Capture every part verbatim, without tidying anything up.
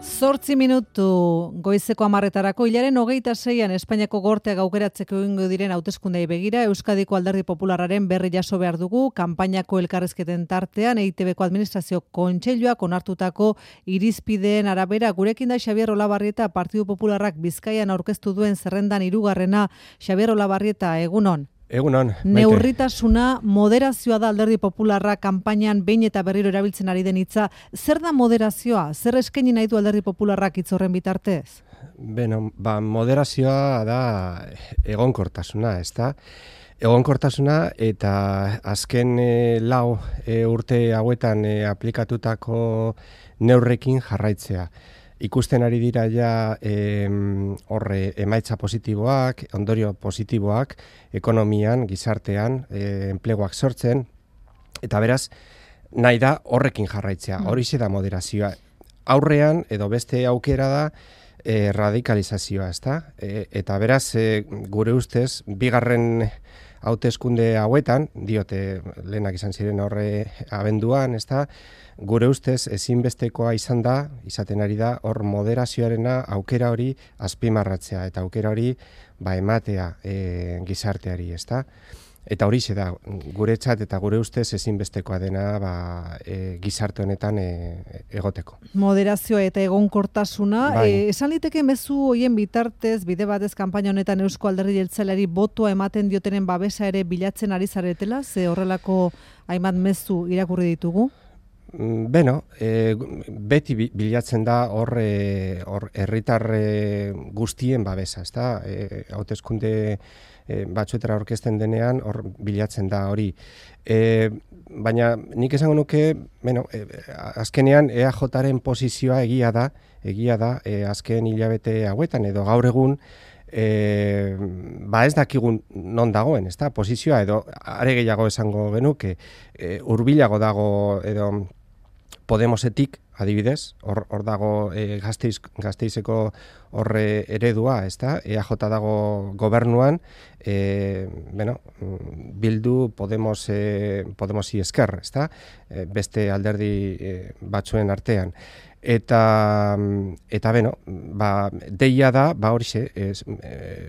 Zortzi minutu goizeko hamarretarako hilaren hogeita zeian Espainiako gorteak aukeratzeko egingo diren hauteskundei begira Euskadiko Alderdi Popularraren berri jaso behar dugu kanpainako elkarrizketen tartean E I T Bko administrazio kontseiluak onartutako irizpideen arabera. Gurekin da Xabier Olabarrieta, Partidu Popularrak Bizkaian aurkeztu duen zerrendan hirugarrena. Xabier Olabarrieta, egunon. Egunon, maite. Neurritasuna, moderazioa da Alderdi Popularra kanpainan behin eta berriro erabiltzen ari den hitza. Zer da moderazioa? Zer eskaini nahi du Alderdi Popularrak hitz horren bitartez? Beno, ba, moderazioa da egonkortasuna, ezta? Egonkortasuna eta azken e, lau e, urte hauetan e, aplikatutako neurrekin jarraitzea. Ikusten ari dira ja horre emaitza positiboak, ondorio positiboak, ekonomian, gizartean, e, enpleguak sortzen, eta beraz, nahi da horrekin jarraitzea, horixe da moderazioa. Aurrean, edo beste aukera da, e, radikalizazioa, ezta? E, eta beraz, e, gure ustez, bigarren hauteskunde hauetan, diote lehenak izan ziren horre abenduan, ezta? Gure ustez ezinbestekoa izan da, izaten ari da, hor moderazioarena aukera hori azpimarratzea eta aukera hori ba, ematea e, gizarteari, ezta? Eta horixe da, guretzat eta gure ustez ezinbestekoa dena ba, e, gizarte honetan e, egoteko. Moderazioa eta egonkortasuna, Bai. e, esan liteke mezu hoien bitartez, bide batez kanpaina honetan Eusko Alderdi Jeltzaleari botoa ematen diotenen babesa ere bilatzen ari zaretela, ze horrelako hainbat mezu irakurri ditugu? Beno, e, beti bilatzen da hor e, herritar e, guztien babesa, ezta? E, hauteskunde e, batzuetara aurkezten denean hor bilatzen da hori. E, baina nik esango nuke, bueno, e, azkenean E A Jaren posizioa egia da, egia da, e, azken hilabete hauetan edo gaur egun E, ba ez dakigun non dagoen, ezta? Posizioa edo are gehiago esango genuke, e, hurbilago dago edo Podemosetik, adibidez, hor, hor dago e, Gasteiz, Gasteizeko horre eredua, ezta? E A J dago gobernuan, e, bueno, Bildu Podemos, e, Podemosi esker, ezta? E, beste alderdi e, batzuen artean. Eta, eta beno, ba, deia da, ba horixe, e,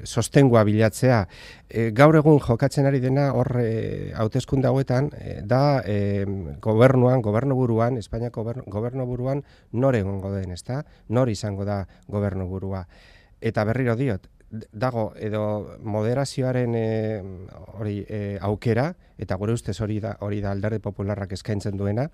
sostengua bilatzea. E, gaur egun jokatzen ari dena hor e, hauteskunde hauetan, e, da e, gobernuan, gobernuburuan, Espainiako gobernuburuan nor egongo den, ezta? Nor izango da gobernuburua. Eta berriro diot, dago edo moderazioaren e, hori e, aukera, eta gure ustez hori da, hori da Alderdi Popularrak eskaintzen duena,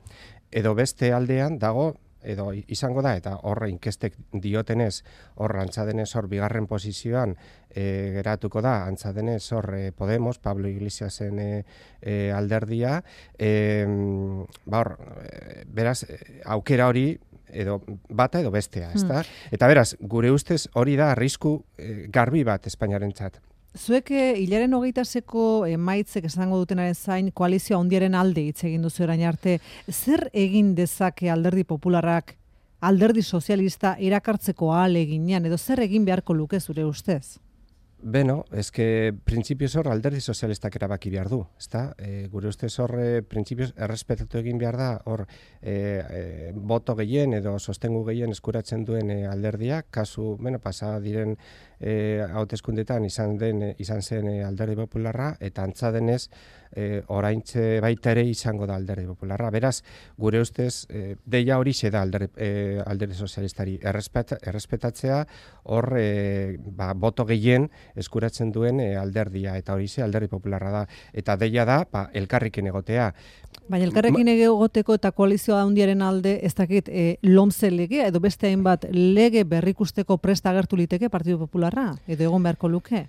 edo beste aldean dago edo izango da, eta horre inkestek diotenez, hor antzadenez hor bigarren posizioan e, geratuko da, antzadenez hor e, Podemos, Pablo Iglesiasen e, e, alderdia, e, ba hor, e, beraz, aukera hori edo bata edo bestea, ezta? Hmm. Eta beraz, gure ustez hori da arrisku e, garbi bat Espainiarentzat. Zuek hilaren hogeita seko emaitzek esango dutenaren zain koalizioa handiaren alde hitz egin duzu orain arte. Zer egin dezake Alderdi Popularrak Alderdi Sozialista erakartzeko ahaleginean edo zer egin beharko luke zure ustez? Beno, eske printzipioz hor Alderdi Sozialistak erabaki behar du, ezta? E, gure ustez hor e, printzipioz errespetatu egin behar da hor e, e, boto gehien edo sostengu gehien eskuratzen duen e, alderdia, kasu, bueno, pasa diren e, hauteskundetan izan den e, izan zen e, Alderdi Popularra eta antza denez e, oraintxe baita ere izango da Alderdi Popularra. Beraz, gure ustez e, deia horixe da Alderdi, e, Alderdi Sozialistari errespet, errespetatzea hor e, ba, boto gehien eskuratzen duen e, alderdia, eta hori ze Alderdi Popularra da. Eta deia da, ba, elkarrekin egotea. Baina elkarrekin egoteko eta koalizioa handiaren alde, ez dakit, e, lomze legea, edo beste hainbat lege berrikusteko presta agertu liteke Partidu Popularra, edo egon beharko luke?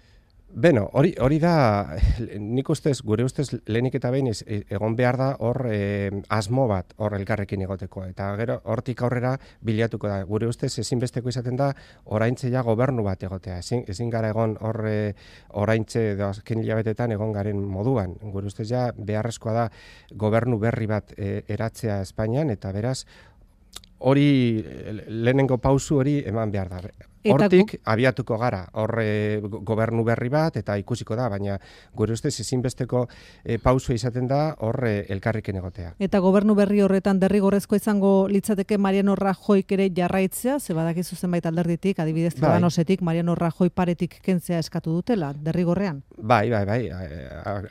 Beno, hori hori da, nik ustez, gure ustez lehenik eta behin egon behar da hor e, asmo bat hor elkarrekin egoteko. Eta gero hortik aurrera bilatuko da. Gure ustez ezinbesteko izaten da oraintze ja gobernu bat egotea. Ezin, ezin gara egon hor e, oraintze edo azken hilabetetan egon garen moduan. Gure ustez ja beharrezkoa da gobernu berri bat e, eratzea Espainian eta beraz hori lehenengo pausu hori eman behar da. Hortik abiatuko gara, horre gobernu berri bat eta ikusiko da, baina gure ustez ezinbesteko e, pausua izaten da horre elkarriken egotea. Eta gobernu berri horretan derrigorrezko izango litzateke Mariano Rajoyk ere jarraitzea, ze badakizu zenbait alderditik, adibidez Ciudadanosetik Mariano Rajoy paretik kentzea eskatu dutela, derrigorrean? Bai, bai, bai,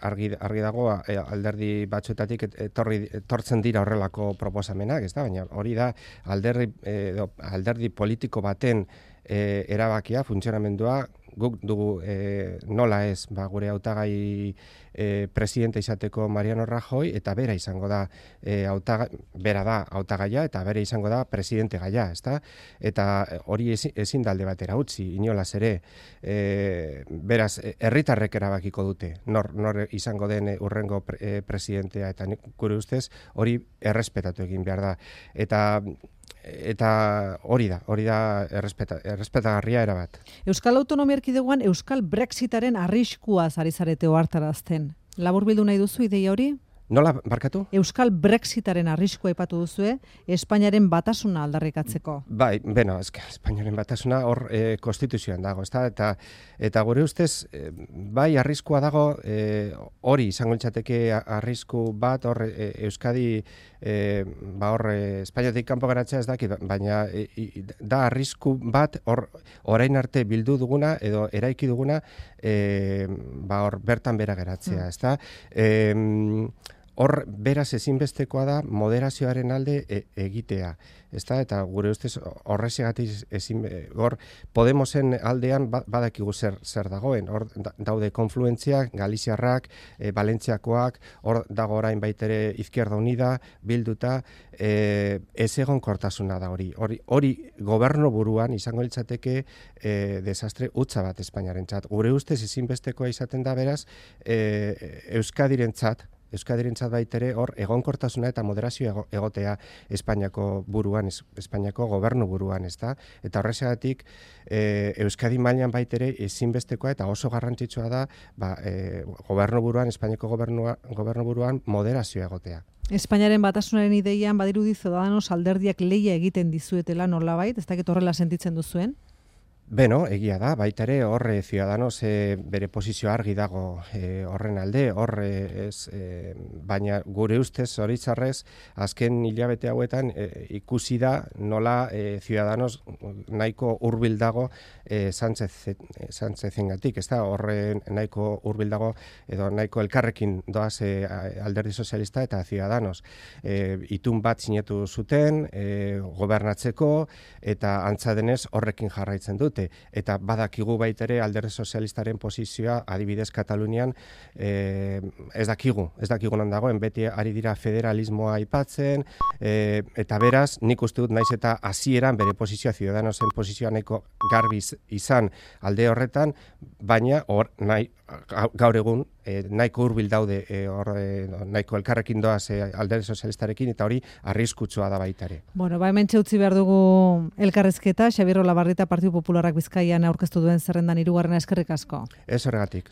argi, argi dago alderdi batzuetatik etorri, etortzen dira horrelako proposamenak, ez da, baina hori da alderdi, eh, alderdi politiko baten E, erabakia, funtzionamendua, guk dugu e, nola ez, ba, gure hautagai e, presidente izateko Mariano Rajoy, eta bera izango da, e, hautaga, bera da hautagaia, eta bera izango da presidente gaia, ezta? Eta hori ezin, ezin dalde batera utzi, inolaz ere, e, beraz, herritarrek erabakiko dute, nor, nor izango den urrengo pre, e, presidentea, eta gure ustez hori errespetatu egin behar da. Eta Eta hori da, hori da errespeta, errespetagarria erabat. Euskal Autonomia Erkidegoan Euskal Brexitaren arriskuaz ari zarete ohartarazten. Laburbildu nahi duzu ideia hori? Nola, barkatu? Euskal Brexitaren arriskua aipatu duzue, Espainiaren batasuna aldarrikatzeko. Bai, beno, eske, Espainiaren batasuna hor e, konstituzioan dago, ezta? Eta, eta gure ustez, e, bai, arriskua dago, e, hori izango litzateke arrisku bat, hor e, Euskadi, e, ba hor, e, Espainiatik kanpo geratzea ez dakit, baina e, da arrisku bat, hor, orain arte bildu duguna, edo eraiki duguna, e, ba hor, bertan bera geratzea, ezta? E, Hor, beraz ezinbestekoa da moderazioaren alde e, egitea. Ezta? Eta gure ustez horrezegatik ezin, hor Podemosen aldean badakigu zer, zer dagoen. Hor daude konfluentziak, Galiziarrak, e, Valentziakoak, hor dago orain baitere Izquierda Unida, bilduta, e, ez egon kortasuna da hori. Hori, hori gobernu buruan izango litzateke e, desastre hutsa bat Espainiarentzat. Gure ustez ezinbestekoa izaten da beraz e, Euskadirentzat, Euskadirentzat baitere hor egonkortasuna eta moderazio egotea Espainiako buruan, Espainiako gobernu buruan, ezta? Eta horrexegatik e, Euskadi mailan baitere ezinbestekoa eta oso garrantzitsua da ba, e, gobernu buruan, Espainiako gobernua, gobernu buruan moderazio egotea. Espainiaren batasunaren ideian badirudi Ciudadanos alderdiak lehia egiten dizuetela nolabait, ez dakit horrela sentitzen duzuen? Beno, egia da, baita ere horre Ciudadanos e, bere posizio argi dago e, horren alde, horre ez, e, baina gure ustez horitzarrez azken hilabete hauetan e, ikusi da nola e, Ciudadanos nahiko hurbil dago e, Sánchez, e, Sánchezengatik, ez da, horre nahiko hurbil dago edo nahiko elkarrekin doaz e, alderdi sozialista eta Ciudadanos. E, itun bat sinatu zuten, e, gobernatzeko eta antza denez horrekin jarraitzen dut. Eta badakigu baitere alderdi sozialistaren posizioa adibidez Katalunian e, ez dakigu, ez dakigu non dagoen, beti ari dira federalismoa aipatzen, e, eta beraz nik uste dut naiz eta hasieran bere posizioa Ciudadanosen posizioa nahiko garbi izan alde horretan, baina hor nahi, gaur egun e, nahiko hurbil daude e, hor, e, nahiko elkarrekin doaz e, alderdi sozialistarekin eta hori arriskutsua da baitare. Bueno, ba hemen utzi behar dugu elkarrezketa, Xabier Olabarrieta Partidu Popularrak Bizkaian aurkeztu duen zerrendan hirugarrena, eskerrik asko. Ez horregatik.